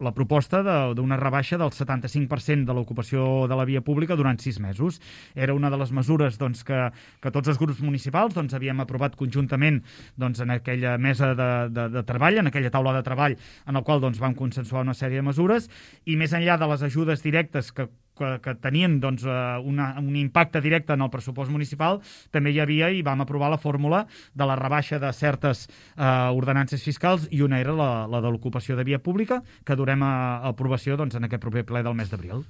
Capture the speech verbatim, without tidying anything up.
la proposta d'una rebaixa del setanta-cinc per cent de l'ocupació de la via pública durant sis mesos. Era una de les mesures doncs, que, que tots els grups municipals doncs, havíem aprovat conjuntament doncs, en aquella mesa de, de, de treball, en aquella taula de treball, en el qual doncs, vam consensuar una sèrie de mesures, i més enllà de les ajudes directes que que, que tenien doncs, una, un impacte directe en el pressupost municipal, també hi havia i vam aprovar la fórmula de la rebaixa de certes eh, ordenances fiscals, i una era la, la de l'ocupació de via pública, que durem a, a aprovació doncs, en aquest proper ple del mes d'abril.